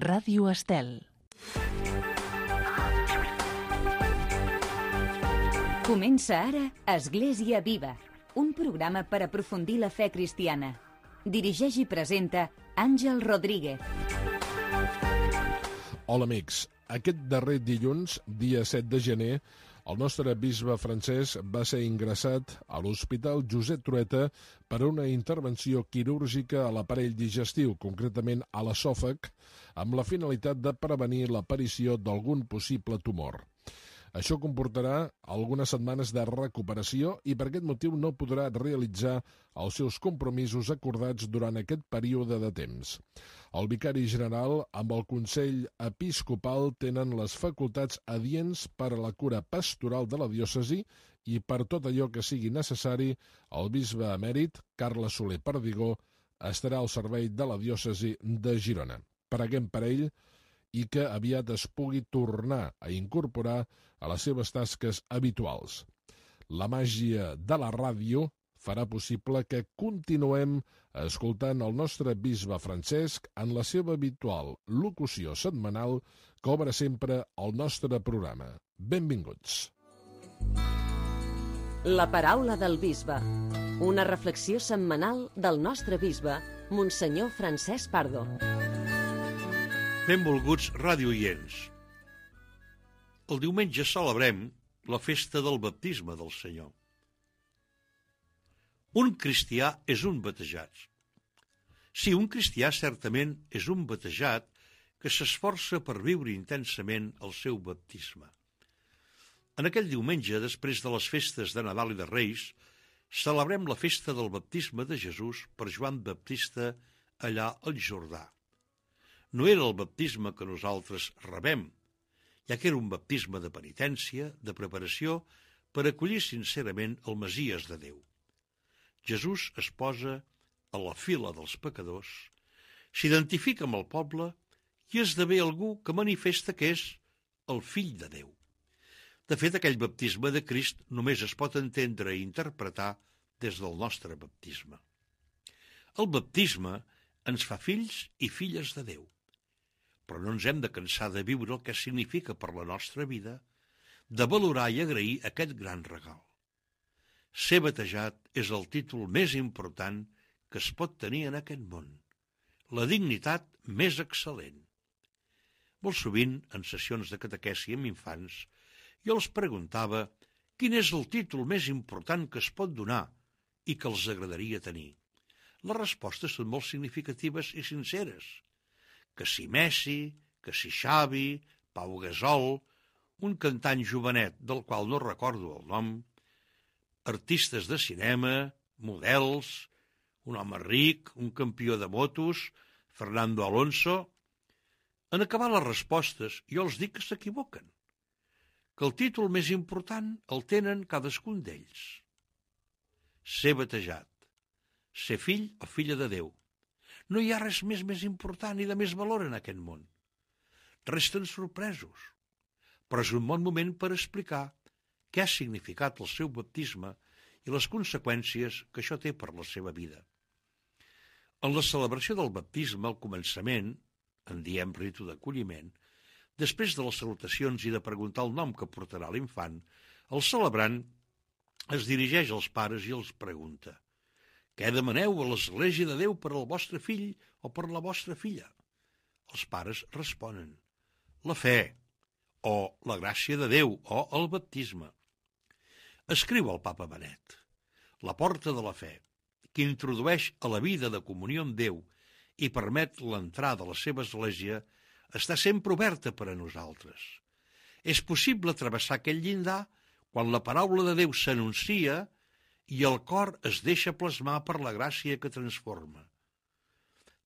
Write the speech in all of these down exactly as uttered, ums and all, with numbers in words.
Ràdio Estel. Comença ara Església Viva, un programa per aprofundir la fe cristiana. Dirigeix i presenta Àngel Rodríguez. Hola amics, aquest darrer dilluns, dia set de gener, el nostre bisbe francès va ser ingressat a l'Hospital Josep Trueta per a una intervenció quirúrgica a l'aparell digestiu, concretament a l'esòfag, amb la finalitat de prevenir l'aparició d'algun possible tumor. Això comportarà algunes setmanes de recuperació i per aquest motiu no podrà realitzar els seus compromisos acordats durant aquest període de temps. El vicari general amb el Consell Episcopal tenen les facultats adients per a la cura pastoral de la diòcesi i per tot allò que sigui necessari, el bisbe emèrit, Carles Soler Perdigó, estarà al servei de la diòcesi de Girona. Preguem per ell i que aviat es pugui tornar a incorporar a les seves tasques habituals. La màgia de la ràdio farà possible que continuem escoltant el nostre bisbe Francesc en la seva habitual locució setmanal que obre sempre el nostre programa. Benvinguts. La paraula del bisbe. Una reflexió setmanal del nostre bisbe, Monsenyor Francesc Pardo. Benvolguts radioients. El diumenge celebrem la festa del baptisme del Senyor. Un cristià és un batejat. Sí, un cristià certament és un batejat que s'esforça per viure intensament el seu baptisme. En aquell diumenge, després de les festes de Nadal i de Reis, celebrem la festa del baptisme de Jesús per Joan Baptista allà al Jordà. No era el baptisme que nosaltres rebem, ja que era un baptisme de penitència, de preparació, per acollir sincerament el Messies de Déu. Jesús es posa a la fila dels pecadors, s'identifica amb el poble i esdevé algú que manifesta que és el fill de Déu. De fet, aquell baptisme de Crist només es pot entendre i interpretar des del nostre baptisme. El baptisme ens fa fills i filles de Déu. Però no ens hem de cansar de viure el que significa per la nostra vida, de valorar i agrair aquest gran regal. Ser batejat és el títol més important que es pot tenir en aquest món, la dignitat més excel·lent. Molt sovint, en sessions de catequesi amb infants, jo els preguntava quin és el títol més important que es pot donar i que els agradaria tenir. Les respostes són molt significatives i sinceres. Que si Messi, que si Xavi, Pau Gasol, un cantant jovenet del qual no recordo el nom, artistes de cinema, models, un home ric, un campió de motos, Fernando Alonso. En acabar les respostes, jo els dic que s'equivoquen, que el títol més important el tenen cadascun d'ells. Ser batejat, ser fill o filla de Déu. No hi ha res més més important i de més valor en aquest món. Resten sorpresos, però és un bon moment per explicar què ha significat el seu baptisme i les conseqüències que això té per la seva vida. En la celebració del baptisme, al començament, en diem ritu d'acolliment, després de les salutacions i de preguntar el nom que portarà l'infant, el celebrant es dirigeix als pares i els pregunta: què demaneu a l'Església de Déu per al vostre fill o per la vostra filla? Els pares responen: la fe, o la gràcia de Déu, o el baptisme. Escriu el papa Benet: la porta de la fe, que introdueix a la vida de comunió amb Déu i permet l'entrada a la seva Església, està sempre oberta per a nosaltres. És possible travessar aquell llindar quan la paraula de Déu s'anuncia i el cor es deixa plasmar per la gràcia que transforma.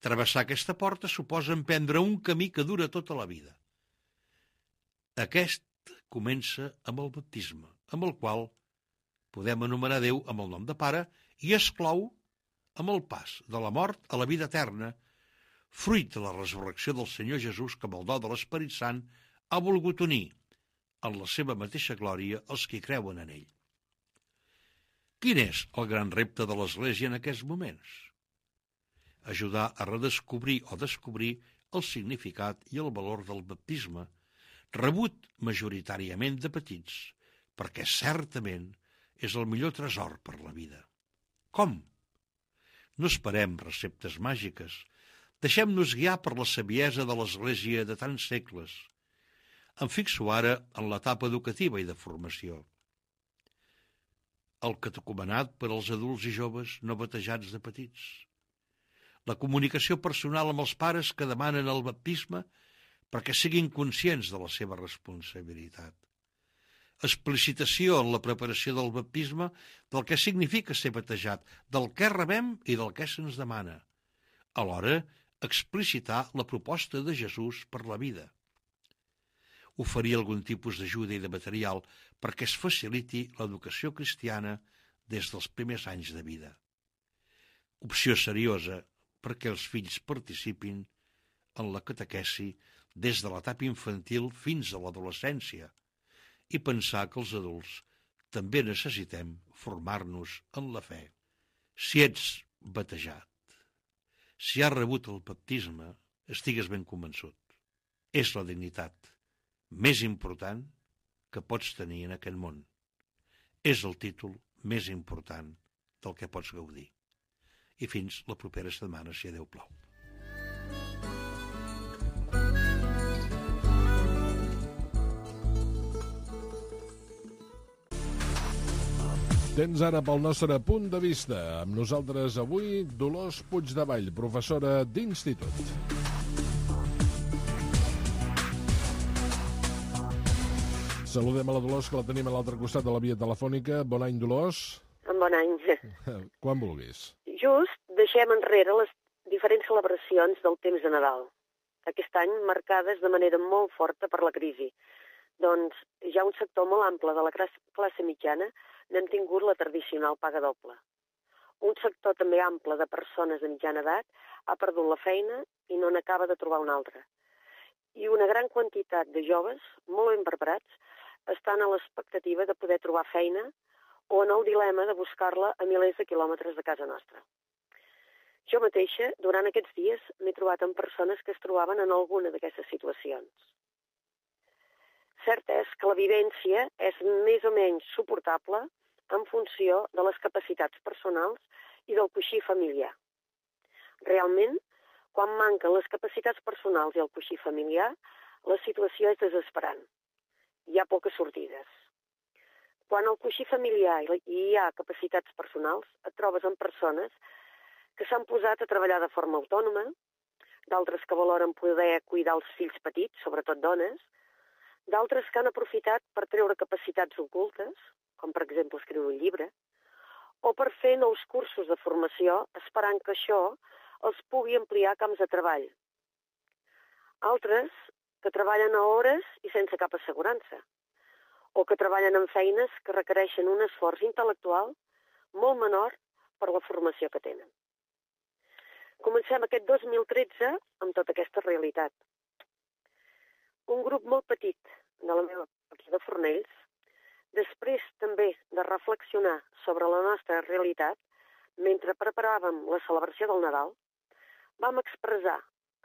Travessar aquesta porta suposa emprendre un camí que dura tota la vida. Aquest comença amb el baptisme, amb el qual podem anomenar Déu amb el nom de Pare i es clou amb el pas de la mort a la vida eterna, fruit de la resurrecció del Senyor Jesús que amb el do de l'Esperit Sant ha volgut unir en la seva mateixa glòria els que creuen en ell. Quin és el gran repte de l'Església en aquests moments? Ajudar a redescobrir o descobrir el significat i el valor del baptisme, rebut majoritàriament de petits, perquè certament és el millor tresor per la vida. Com? No esperem receptes màgiques. Deixem-nos guiar per la saviesa de l'Església de tants segles. Em fixo ara en l'etapa educativa i de formació. El catecumenat per als adults i joves no batejats de petits. La comunicació personal amb els pares que demanen el baptisme perquè siguin conscients de la seva responsabilitat. Explicitació en la preparació del baptisme del que significa ser batejat, del què rebem i del què se'ns demana. Alhora, explicitar la proposta de Jesús per la vida. Oferir algun tipus d'ajuda i de material perquè es faciliti l'educació cristiana des dels primers anys de vida. Opció seriosa perquè els fills participin en la catequesi des de l'etapa infantil fins a l'adolescència i pensar que els adults també necessitem formar-nos en la fe. Si ets batejat, si has rebut el baptisme, estigues ben convençut. És la dignitat més important que pots tenir en aquest món. És el títol més important del que pots gaudir. I fins la propera setmana, si a Déu plau. Tens ara pel nostre punt de vista. Amb nosaltres avui Dolors Puigdevall, professora d'institut. Saludem a la Dolors, que la tenim a l'altre costat de la via telefònica. Bon any, Dolors. Bon any. Quan vulguis. Just deixem enrere les diferents celebracions del temps de Nadal, aquest any marcades de manera molt forta per la crisi. Doncs ja un sector molt ample de la classe mitjana n'hem tingut la tradicional paga doble. Un sector també ample de persones de mitjana edat ha perdut la feina i no n'acaba de trobar una altra. I una gran quantitat de joves, molt ben preparats, estan a l'expectativa de poder trobar feina o en el dilema de buscar-la a milers de quilòmetres de casa nostra. Jo mateixa, durant aquests dies, m'he trobat amb persones que es trobaven en alguna d'aquestes situacions. Cert és que la vivència és més o menys suportable en funció de les capacitats personals i del coixí familiar. Realment, quan manquen les capacitats personals i el coixí familiar, la situació és desesperant. Hi ha poques sortides. Quan al coixí familiar hi ha capacitats personals, et trobes amb persones que s'han posat a treballar de forma autònoma, d'altres que valoren poder cuidar els fills petits, sobretot dones, d'altres que han aprofitat per treure capacitats ocultes, com per exemple escriure un llibre, o per fer nous cursos de formació esperant que això els pugui ampliar camps de treball. Altres que treballen a hores i sense cap assegurança, o que treballen en feines que requereixen un esforç intel·lectual molt menor per la formació que tenen. Comencem aquest dos mil tretze amb tota aquesta realitat. Un grup molt petit de la meva aquí de Fornells, després també de reflexionar sobre la nostra realitat, mentre preparàvem la celebració del Nadal, vam expressar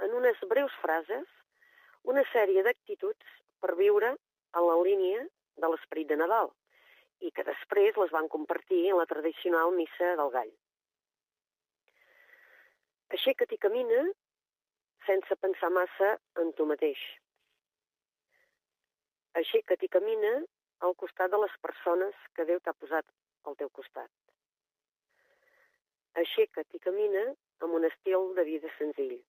en unes breus frases una sèrie d'actituds per viure en la línia de l'esperit de Nadal i que després les van compartir en la tradicional missa del gall. Aixeca't i camina sense pensar massa en tu mateix. Aixeca't i camina al costat de les persones que Déu t'ha posat al teu costat. Aixeca't i camina amb un estil de vida senzill.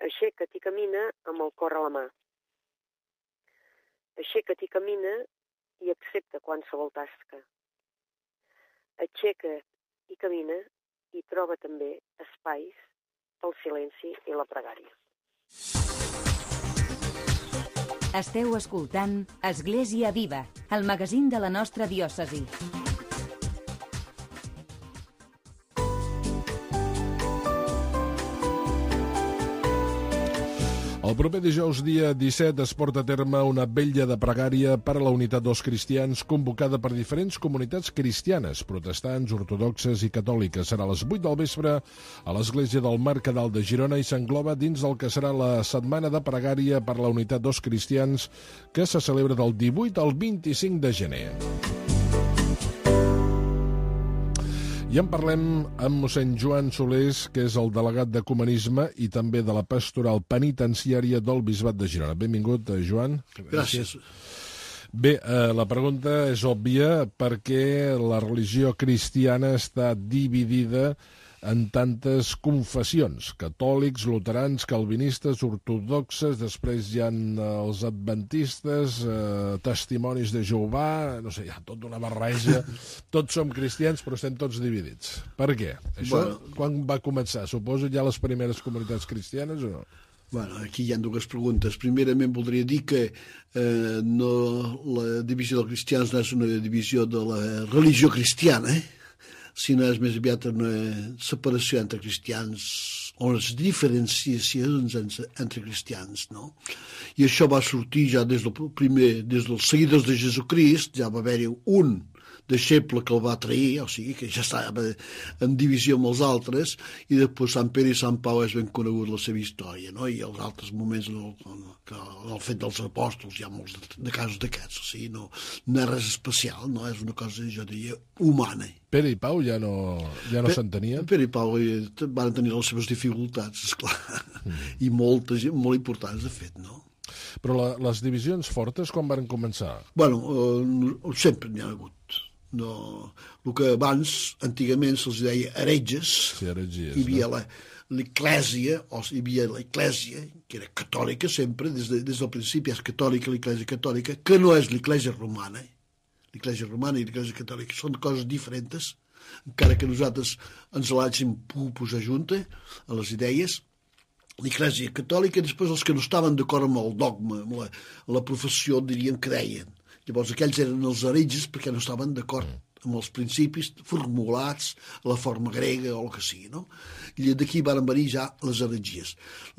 Aixeca't i camina amb el cor a la mà. Aixeca't i camina i accepta qualsevol tasca. Aixeca't i camina i troba també espais pel silenci i la pregària. Esteu escoltant Església Viva, el magazín de la nostra diòcesi. El proper dijous, dia disset, es porta a terme una vetlla de pregària per a la unitat dels cristians convocada per diferents comunitats cristianes, protestants, ortodoxes i catòliques. Serà a les vuit del vespre a l'església del Mercadal de Girona i s'engloba dins del que serà la setmana de pregària per a la unitat dels cristians que se celebra del divuit al vint-i-cinc de gener. I en parlem amb mossèn Joan Solés, que és el delegat d'Ecumenisme i també de la pastoral penitenciària del Bisbat de Girona. Benvingut, Joan. Gràcies. Bé, eh, la pregunta és òbvia perquè la religió cristiana està dividida en tantes confessions, catòlics, luterans, calvinistes, ortodoxes, després hi ha els adventistes, eh, testimonis de Jehovà, no sé, hi ha tota una barreja, tots som cristians però estem tots dividits. Per què? Això bueno, quan va començar? Suposo ja les primeres comunitats cristianes o no? Bueno, aquí hi ha dues preguntes. Primerament voldria dir que eh, no, la divisió dels cristians no és una divisió de la religió cristiana, eh? sinó és més aviat una separació entre cristians, o les diferenciacions entre cristians, no? I això va sortir ja des del primer, des dels seguidors de Jesucrist, ja va haver-hi un deixeble que el va trair, o sigui, que ja estava en divisió amb els altres, i després Sant Pere i Sant Pau és ben conegut la seva història, no? I els altres moments del, del fet dels apòstols, hi ha molts de, de casos d'aquests, o sigui, no, no és res especial, no? És una cosa, jo diria, humana. Pere i Pau ja no, ja no s'entenien? Pere i Pau van tenir les seves dificultats, esclar, mm. i moltes, molt importants, de fet, no? Però la, les divisions fortes quan van començar? Bueno, eh, sempre n'hi ha hagut. No, el que abans, antigament, se'ls deia heretges, sí, heretgies, hi havia no? l'eclèsia, o hi havia l'eclèsia, que era catòlica sempre, des, de, des del principi és catòlica, l'eclèsia catòlica, que no és l'eclèsia romana. L'eclèsia romana i l'eclèsia catòlica són coses diferents, encara que nosaltres ens l'hàgim pogut posar junta a les idees. L'eclèsia catòlica, després els que no estaven d'acord amb el dogma, amb la, la professió, dirien que deien. Llavors aquells eren els heretges perquè no estaven d'acord amb els principis formulats a la forma grega o el que sigui, no? I d'aquí van venir ja les heretgies.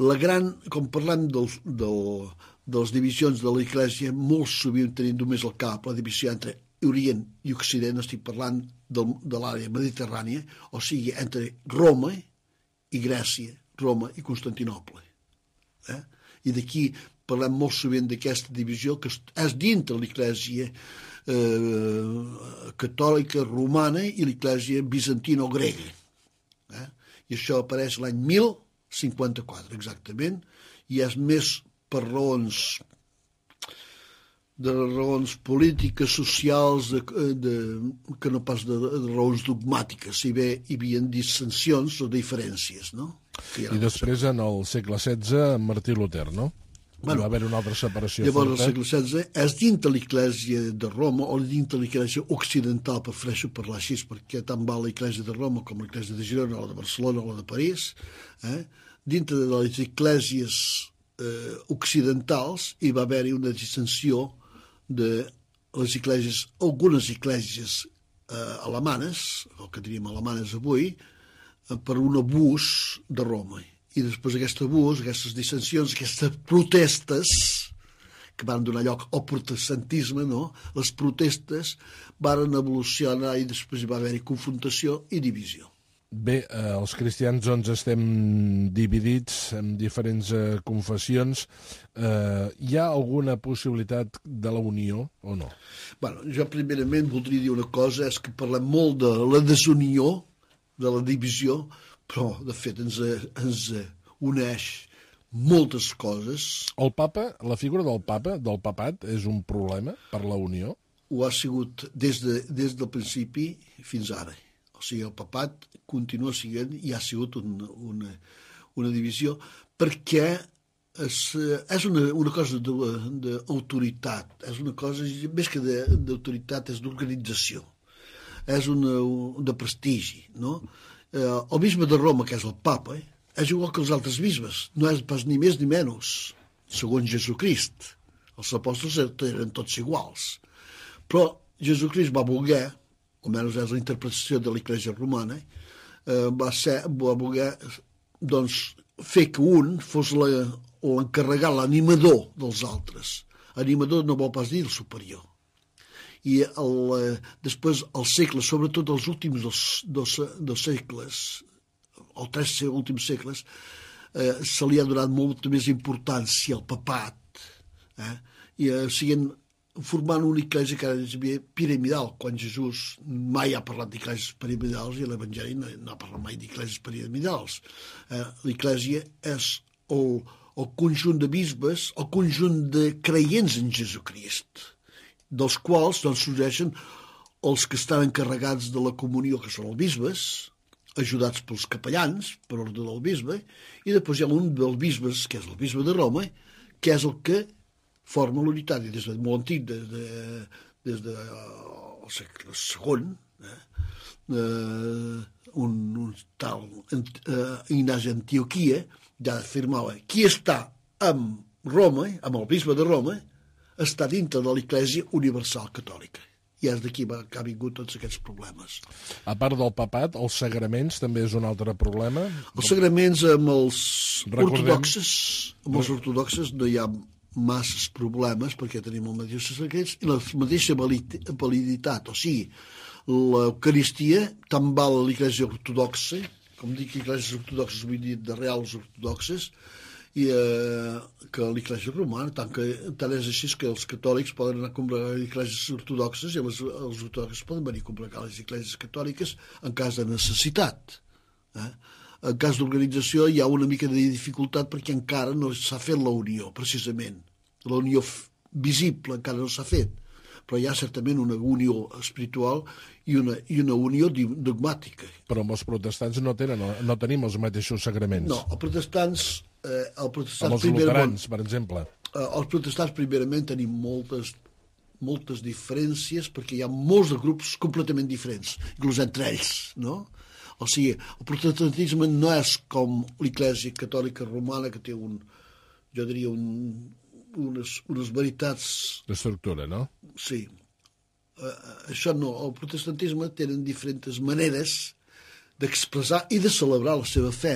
La gran, com parlem del, del, de les divisions de l'Església, molt sovint tenim només al cap la divisió entre Orient i Occident, estic parlant del, de l'àrea mediterrània, o sigui, entre Roma i Grècia, Roma i Constantinoble. Eh? I d'aquí parlem molt sovint d'aquesta divisió que és dintre l'Església eh, catòlica romana i l'Església bizantino-grega. Eh? I això apareix l'any mil cinquanta-quatre, exactament, i és més per raons de raons polítiques, socials, de, de, que no pas de, de raons dogmàtiques, si bé hi havia dissensions o diferències, no? I després, en el segle setze, Martí Luter, no? Bueno, va haver una altra separació llavors, forta. Llavors, al segle setze, és dintre l'Església de Roma o dintre l'Església occidental, prefereixo parlar així, perquè tant va l'Església de Roma com l'Església de Girona, o la de Barcelona o la de París, eh? Dintre de les esglésies eh, occidentals hi va haver-hi una dissensió de les esglésies, algunes esglésies eh, alemanes, el que diríem alemanes avui, eh, per un abús de Roma. I després aquest abús, aquestes dissensions, aquestes protestes que van donar lloc al protestantisme, no? Les protestes van evolucionar i després hi va haver-hi confrontació i divisió. Bé, eh, els cristians doncs estem dividits en diferents eh, confessions. Eh, hi ha alguna possibilitat de la unió o no? Bueno, jo primerament voldria dir una cosa, és que parlem molt de la desunió, de la divisió, però de fet ens, ens uneix moltes coses. El papa, la figura del papa, del papat, és un problema per la unió? Ho ha sigut des, de, des del principi fins ara. O sigui, el papat continua sent i ha sigut una, una, una divisió perquè és, és una, una cosa d'autoritat, és una cosa, més que d'autoritat, és d'organització, és una, de prestigi, no? El bisbe de Roma, que és el papa, eh, és igual que els altres bisbes, no és pas ni més ni menys, segons Jesucrist. Els apòstols eren tots iguals. Però Jesucrist va voler, almenys és la interpretació de l'Església romana, eh, va, ser, va voler doncs, fer que un fos la, l'encarregat, l'animador dels altres. Animador no vol pas dir el superior. I el, després els segles, sobretot els últims dos, dos, dos segles, els tres últims segles, eh, se li ha donat molta més importància al papat, eh? I eh, siguen formant una església que és piramidal, quan Jesús mai ha parlat d'esglésies piramidals i l'Evangeli no, no ha parlat mai d'esglésies piramidals. Eh, l'església és el, el conjunt de bisbes, el conjunt de creients en Jesucrist, dels quals doncs, sorgeixen els que estan encarregats de la comunió, que són els bisbes, ajudats pels capellans, per ordre del bisbe, i després hi ha un dels bisbes, que és el bisbe de Roma, que és el que forma l'unitat, i des de molt antic, des de, des de uh, el segle segon, eh, uh, un, un tal uh, Ignasi Antioquia ja afirmava qui està amb Roma, amb el bisbe de Roma, està dintre de l'Església Universal Catòlica. I és d'aquí que ha vingut tots aquests problemes. A part del papat, els sagraments també és un altre problema? Els sagraments amb els Recordem... ortodoxes, amb els ortodoxes no hi ha masses problemes perquè tenim els mateixos secrets i la mateixa validitat, o sigui, l'Eucaristia tant val a l'Església Ortodoxa, com dic Esglésies Ortodoxes, vull dir de reals ortodoxes, i eh, que l'Església Romana, tant, que, tant és així que els catòlics poden anar a comprar les Esglésies Ortodoxes i les, els ortodoxes poden venir a comprar les Esglésies Catòliques en cas de necessitat. Eh? En cas d'organització hi ha una mica de dificultat perquè encara no s'ha fet la unió, precisament. La unió visible encara no s'ha fet, però hi ha certament una unió espiritual i una, i una unió dogmàtica. Però amb els protestants no, tenen, no tenim els mateixos sagraments. No, els protestants... Eh, el protestants amb els luterans, per exemple. Eh, els protestants, primerament, tenim moltes, moltes diferències perquè hi ha molts de grups completament diferents, inclús entre ells, no? O sigui, el protestantisme no és com l'Església Catòlica Romana, que té un, jo diria, un, unes, unes veritats... D'estructura, no? Sí. Uh, això no. El protestantisme tenen diferents maneres d'expressar i de celebrar la seva fe,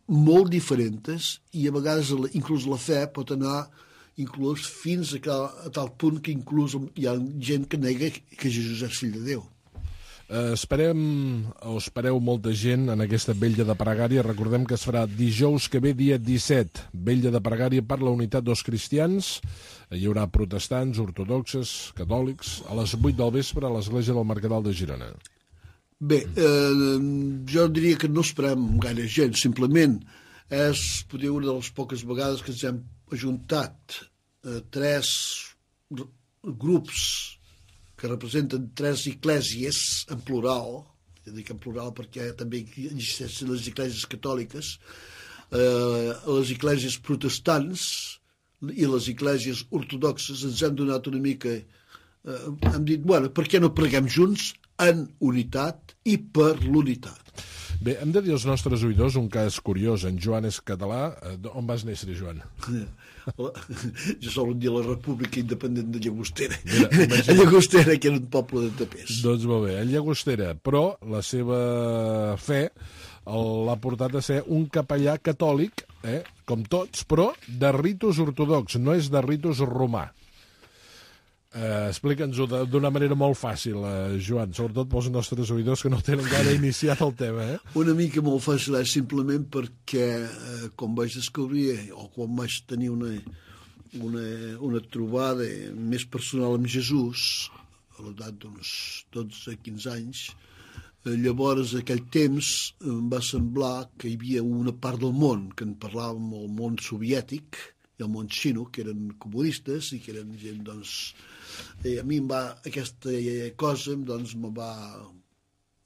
molt diferents, i a vegades inclús la fe pot anar inclús fins a, cal, a tal punt que inclús hi ha gent que nega que Jesús és fill de Déu. Eh, esperem, o espereu molta gent en aquesta vetlla de pregària. Recordem que es farà dijous que ve, dia disset, vetlla de pregària per la unitat dels cristians. Hi haurà protestants, ortodoxes, catòlics, a les vuit del vespre a l'església del Mercadal de Girona. Bé, eh, jo diria que no esperem gaire gent, simplement és, potser, una de les poques vegades que ens hem ajuntat eh, tres grups que representen tres esglésies en plural, jo dic en plural perquè també existeixen les esglésies catòliques, eh, les esglésies protestants i les esglésies ortodoxes. Ens hem donat una mica, eh, hem dit, bueno, per què no preguem junts en unitat i per l'unitat. Bé, hem de dir als nostres oïdors un cas curiós. En Joan és català. On vas néixer, Joan? Jo sol dir la República Independent de Llagostera. Mira, a Llagostera, que era un poble de tapers. Doncs molt bé, a Llagostera. Però la seva fe l'ha portat a ser un capellà catòlic, eh, com tots, però de ritus ortodox, no és de ritus romà. Uh, Explica'ns-ho d'una manera molt fàcil, uh, Joan, sobretot pels nostres oïdors que no tenen gaire iniciat el tema. Eh? Una mica molt fàcil és simplement perquè, uh, com vaig descobrir, o quan vaig tenir una, una, una trobada més personal amb Jesús, a l'edat d'uns dotze quinze anys, uh, llavors, aquell temps, em va semblar que hi havia una part del món, que en parlàvem el món soviètic i el món xino, que eren comunistes i que eren gent, doncs... I a mi em va, aquesta cosa doncs, me va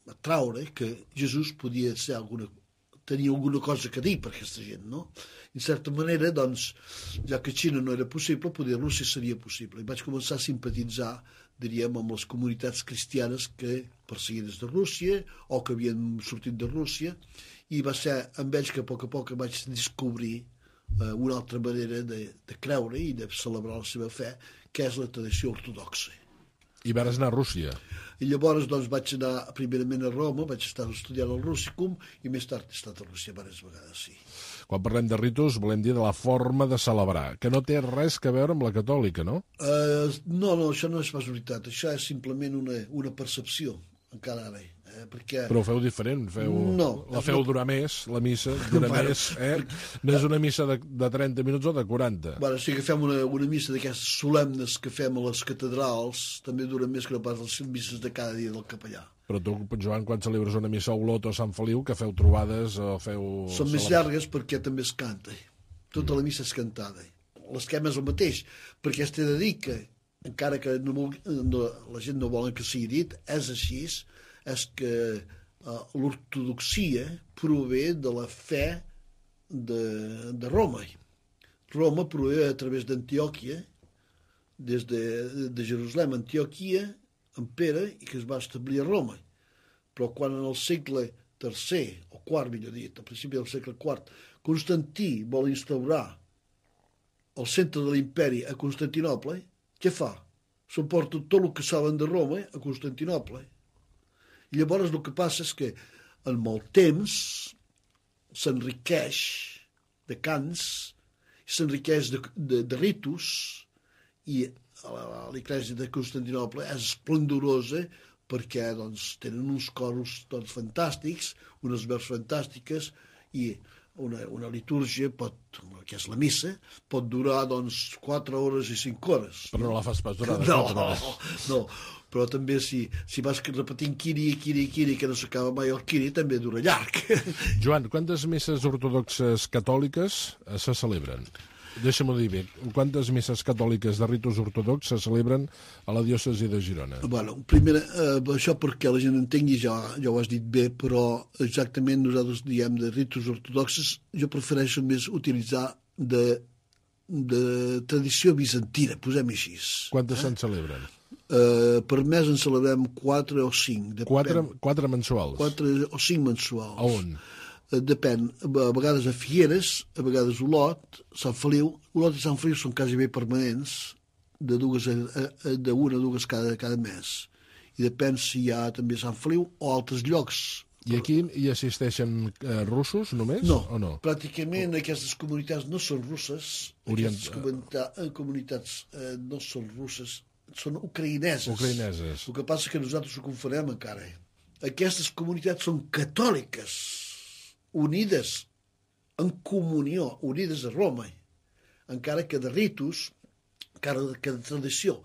atraure que Jesús podia ser alguna, tenir alguna cosa que dir per aquesta gent, no? En certa manera, doncs, ja que Xina no era possible, poder Rússia seria possible. I vaig començar a simpatitzar, diríem, amb les comunitats cristianes que perseguides de Rússia o que havien sortit de Rússia, i va ser amb ells que a poc a poc vaig descobrir eh, una altra manera de, de creure i de celebrar la seva fe, que és la tradició ortodoxa. I vas anar a Rússia. I llavors doncs, vaig anar primerament a Roma, vaig estar estudiant al Russicum i més tard he estat a Rússia diverses vegades, sí. Quan parlem de ritus, volem dir de la forma de celebrar, que no té res a veure amb la catòlica, no? Uh, no, no, això no és pas veritat. Això és simplement una, una percepció, encara ara. Eh, perquè... Però ho feu diferent, feu... No, la feu no. durar més, la missa, dura Bueno, més, eh? No és una missa de, de trenta minuts o de quaranta. Bueno, si agafem una, una missa d'aquestes solemnes que fem a les catedrals, també dura més que no pas les misses de cada dia del capellà. Però tu, Joan, quan celebres una missa a Olot o a Sant Feliu, que feu trobades o feu... Són més llargues perquè també es canta. Tota la missa és cantada. L'esquema és el mateix, perquè es t'he de dir que, encara que no, no, la gent no vol que sigui dit, és així, és que uh, l'ortodoxia prové de la fe de, de Roma. Roma prové a través d'Antioquia, des de, de Jerusalem, Antioquia, en Pere, i que es va establir a Roma. Però quan en el segle tercer, o quart, millor dit, al principi del segle quart, Constantí vol instaurar el centre de l'imperi a Constantinople, què fa? S'emporta tot el que saben de Roma a Constantinople. I llavors el que passa és que en molt temps s'enriqueix de cants, s'enriqueix de, de, de ritus, i l'Església de Constantinople és esplendorosa perquè doncs, tenen uns coros doncs, fantàstics, unes veus fantàstiques, i una, una litúrgia, pot, que és la missa, pot durar doncs, quatre hores i cinc hores. Però no la fas pas durar de no, quatre hores. No, però també si, si vas repetint quiri, quiri, quiri, que no s'acaba mai el quiri, també dura llarg. Joan, quantes misses ortodoxes catòliques se celebren? Deixa'm-ho dir bé. Quantes misses catòliques de ritus ortodox se celebren a la diòcesi de Girona? Bueno, primer, eh, això perquè la gent entengui, ja, ja ho has dit bé, però exactament nosaltres diem de ritus ortodoxes, jo prefereixo més utilitzar de, de tradició bizantina, posem-hi així. Quantes eh? se'n celebren? Eh, per mes en celebrem quatre o cinc. Depèn. Quatre, quatre mensuals? Quatre o cinc mensuals. A on? Depèn, a vegades a Figueres, a vegades a Olot, Sant Feliu. Olot i Sant Feliu són quasi bé permanents, de dues a, a, de una a dues cada, cada mes. I depèn si hi ha també Sant Feliu o altres llocs. I aquí hi assisteixen eh, russos només? No, o no? pràcticament aquestes comunitats no són russes. Orient... Aquestes comunita comunitats eh, no són russes, són ucraïneses. Ucraïneses. El que passa és que nosaltres ho confonem encara. Aquestes comunitats són catòliques, unides en comunió, unides a Roma, encara que de ritus, encara que de tradició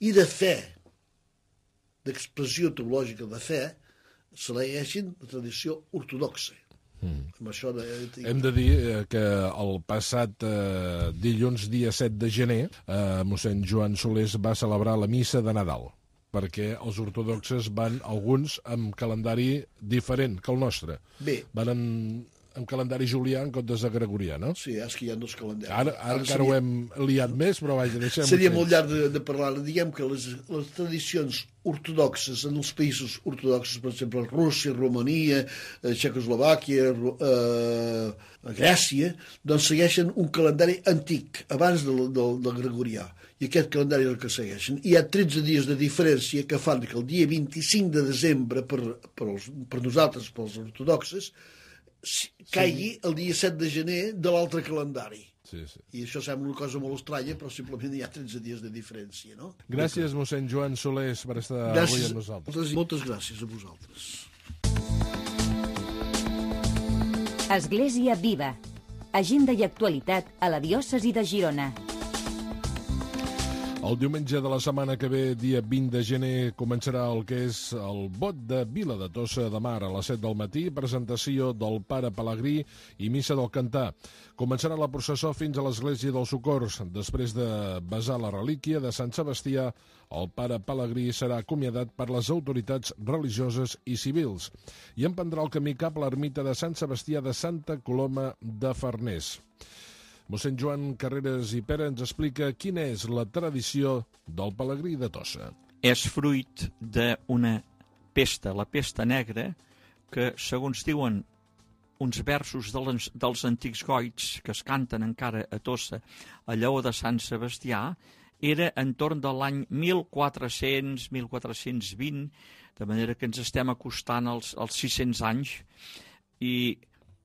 i de fe, d'expressió teològica de fe, segueixin la tradició ortodoxa. Mm. Amb això de... Hem de dir que el passat eh, dilluns, dia set de gener, eh, mossèn Joan Solés va celebrar la missa de Nadal, perquè els ortodoxes van, alguns, amb calendari diferent que el nostre. Bé. Van en, en calendari julià en comptes de gregorià, no? Sí, és que hi ha dos calendaris. Ara, ara, ara encara seria... ho hem liat més, però vaja, deixem-ho. Seria molt llarg de, de parlar. Diguem que les, les tradicions ortodoxes en els països ortodoxos, per exemple, Rússia, Romania, eh, Txecoslovàquia, eh, Grècia, doncs segueixen un calendari antic, abans del, del, del gregorià. I aquest calendari és el que segueixen. Hi ha tretze dies de diferència que fan que el dia vint-i-cinc de desembre, per, per, els, per nosaltres, pels ortodoxes, caigui sí. el dia set de gener de l'altre calendari. Sí, sí. I això sembla una cosa molt estranya, però simplement hi ha tretze dies de diferència, no? Gràcies, mossèn Joan Solés, per estar gràcies, avui amb nosaltres. Moltes, moltes gràcies a vosaltres. Església Viva. Agenda i actualitat a la diòcesi de Girona. El diumenge de la setmana que ve, dia vint de gener, començarà el que és el Bot de Vila de Tossa de Mar a les set del matí, presentació del Pare Pelegrí i missa del Cantar. Començarà la processó fins a l'església dels Socors. Després de besar la relíquia de Sant Sebastià, el Pare Pelegrí serà acomiadat per les autoritats religioses i civils i emprendrà el camí cap a l'ermita de Sant Sebastià de Santa Coloma de Farners. Mossèn Joan Carreras i Pere ens explica quina és la tradició del Pelegrí de Tossa. És fruit d'una pesta, la pesta negra, que, segons diuen uns versos dels, dels antics goigs que es canten encara a Tossa, a Lleó de Sant Sebastià, era entorn de l'any mil quatre-cents, mil quatre-cents vint, de manera que ens estem acostant als, als sis-cents anys, i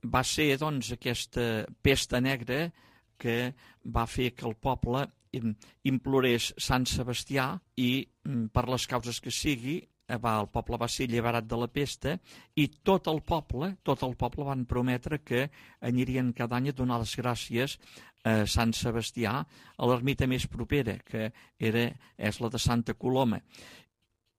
va ser, doncs, aquesta pesta negra que va fer que el poble implorés Sant Sebastià i, per les causes que sigui, va, el poble va ser alliberat de la pesta i tot el poble, tot el poble van prometre que anirien cada any a donar les gràcies a Sant Sebastià, a l'ermita més propera, que era, és la de Santa Coloma.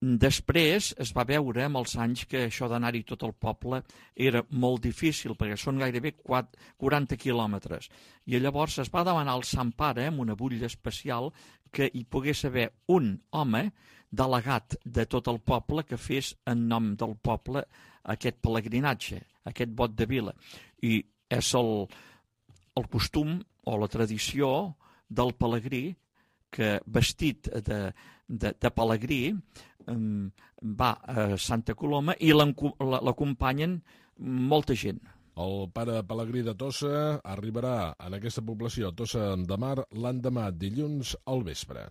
Després es va veure amb els anys que això d'anar-hi tot el poble era molt difícil, perquè són gairebé quaranta quilòmetres. I llavors es va demanar al Sant Pare, amb una butlla especial, que hi pogués haver un home delegat de tot el poble que fes en nom del poble aquest pelegrinatge, aquest vot de vila. I és el, el costum o la tradició del pelegrí que vestit de, de, de pelegrí um, va a Santa Coloma i l'acompanyen molta gent. El pare Pelegrí de Tossa arribarà en aquesta població, Tossa de Mar, l'endemà, dilluns al vespre.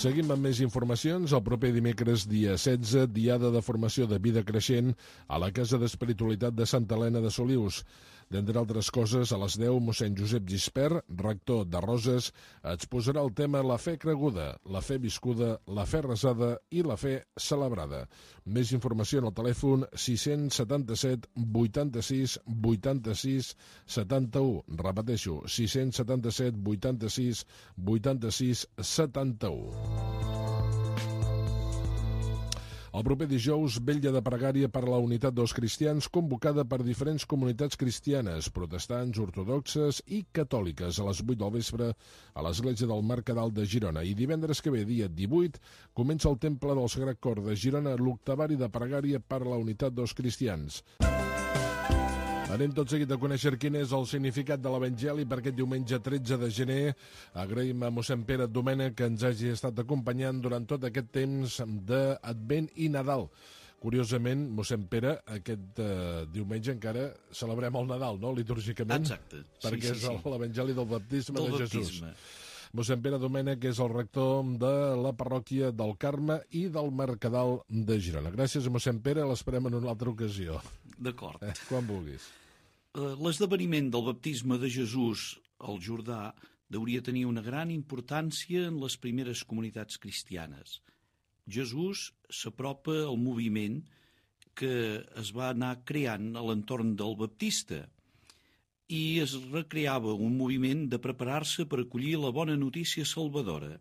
Seguim amb més informacions. El proper dimecres, dia setze, diada de formació de vida creixent a la Casa d'Espiritualitat de Santa Helena de Solius. D'entre altres coses, a les deu, mossèn Josep Gispert, rector de Roses, exposarà el tema La fe creguda, la fe viscuda, la fe resada i la fe celebrada. Més informació en el telèfon sis-cents setanta-set vuitanta-sis vuitanta-sis setanta-u. Repeteixo, sis-cents setanta-set vuitanta-sis vuitanta-sis setanta-u. El proper dijous, vetlla de pregària per la unitat dels cristians convocada per diferents comunitats cristianes, protestants, ortodoxes i catòliques a les vuit del vespre a l'església del Mercadal de Girona. I divendres que ve, dia divuit, comença el Temple del Sagrat Cor de Girona l'octavari de pregària per la unitat dels cristians. Anem tot seguit a conèixer quin és el significat de l'Evangeli per aquest diumenge tretze de gener. Agraïm a mossèn Pere Domènech que ens hagi estat acompanyant durant tot aquest temps d'Advent i Nadal. Curiosament, mossèn Pere, aquest eh, diumenge encara celebrem el Nadal, no?, litúrgicament? Exacte. Perquè sí, sí, és l'Evangeli del baptisme del de baptisme. Jesús. Mossèn Pere Domènech és el rector de la parròquia del Carme i del Mercadal de Girona. Gràcies a mossèn Pere, l'esperem en una altra ocasió. D'acord. Eh, quan vulguis. L'esdeveniment del baptisme de Jesús al Jordà hauria tenir una gran importància en les primeres comunitats cristianes. Jesús s'apropa al moviment que es va anar creant a l'entorn del baptista i es recreava un moviment de preparar-se per acollir la bona notícia salvadora.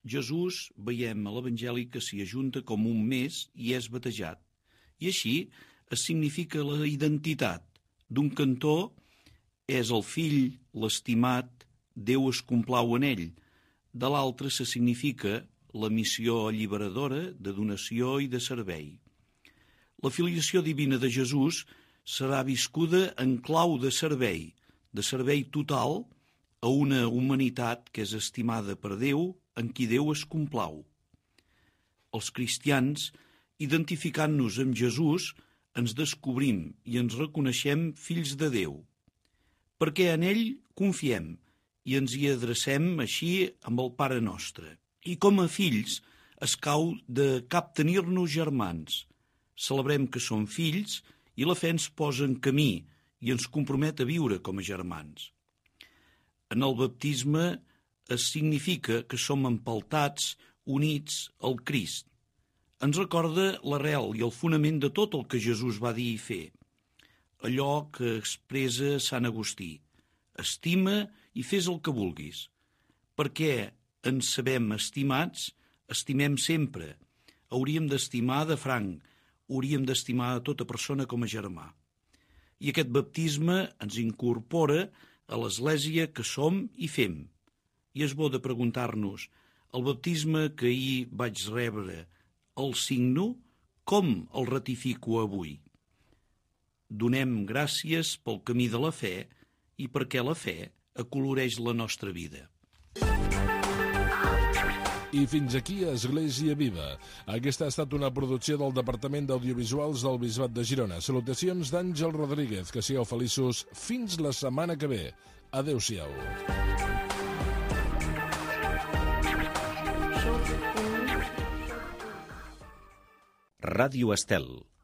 Jesús, veiem a l'Evangeli que s'hi ajunta com un més i és batejat. I així es significa la identitat. D'un cantó és el fill, l'estimat, Déu es complau en ell. De l'altre se significa la missió alliberadora de donació i de servei. La filiació divina de Jesús serà viscuda en clau de servei, de servei total a una humanitat que és estimada per Déu, en qui Déu es complau. Els cristians, identificant-nos amb Jesús, ens descobrim i ens reconeixem fills de Déu, perquè en ell confiem i ens hi adrecem així amb el Pare Nostre. I com a fills escau de captenir-nos germans. Celebrem que som fills i la fe ens posa en camí i ens compromet a viure com a germans. En el baptisme es significa que som empaltats, units al Crist. Ens recorda l'arrel i el fonament de tot el que Jesús va dir i fer. Allò que expressa Sant Agustí. Estima i fes el que vulguis. Perquè ens sabem estimats, estimem sempre. Hauríem d'estimar de franc, hauríem d'estimar a tota persona com a germà. I aquest baptisme ens incorpora a l'Església que som i fem. I és bo de preguntar-nos, el baptisme que ahir vaig rebre, el signo, com el ratifico avui? Donem gràcies pel camí de la fe i perquè la fe acoloreix la nostra vida. I fins aquí Església Viva. Aquesta ha estat una producció del Departament d'Audiovisuals del Bisbat de Girona. Salutacions d'Àngel Rodríguez. Que sigueu feliços fins la setmana que ve. Adéu-siau. Ràdio Estel.